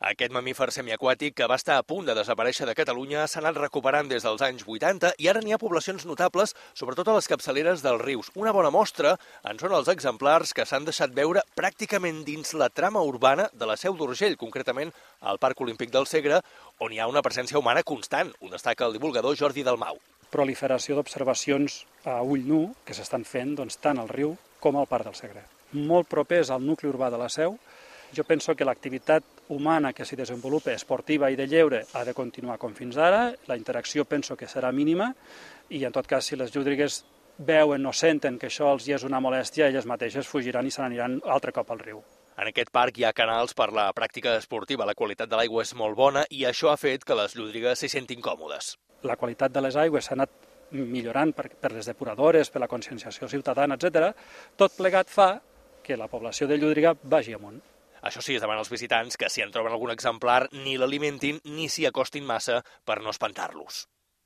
Aquest mamífer semiaquàtic, que va estar a punt de desaparèixer de Catalunya, s'ha anat recuperant des dels anys 80 i ara n'hi ha poblacions notables, sobretot a les capçaleres dels rius. Una bona mostra en són els exemplars que s'han deixat veure pràcticament dins la trama urbana de la Seu d'Urgell, concretament al Parc Olímpic del Segre, on hi ha una presència humana constant. Ho destaca el divulgador Jordi Dalmau. Proliferació d'observacions a ull nu que s'estan fent tant al riu com al Parc del Segre. Molt propers al nucli urbà de la Seu. Jo penso que l'activitat humana que s'hi desenvolupa, esportiva i de lleure, ha de continuar com fins ara. La interacció penso que serà mínima i, en tot cas, si les llúdrigues veuen o senten que això els hi és una molèstia, elles mateixes fugiran i se n'aniran altre cop al riu. En aquest parc hi ha canals per la pràctica esportiva. La qualitat de l'aigua és molt bona i això ha fet que les llúdrigues s'hi sentin còmodes. La qualitat de les aigües s'ha anat millorant per les depuradores, per la conscienciació ciutadana, etc. Tot plegat fa que la població de llúdriga vagi amunt. Això sí, es demana als visitants que si en troben algun exemplar ni l'alimentin ni s'hi acostin massa per no espantar-los.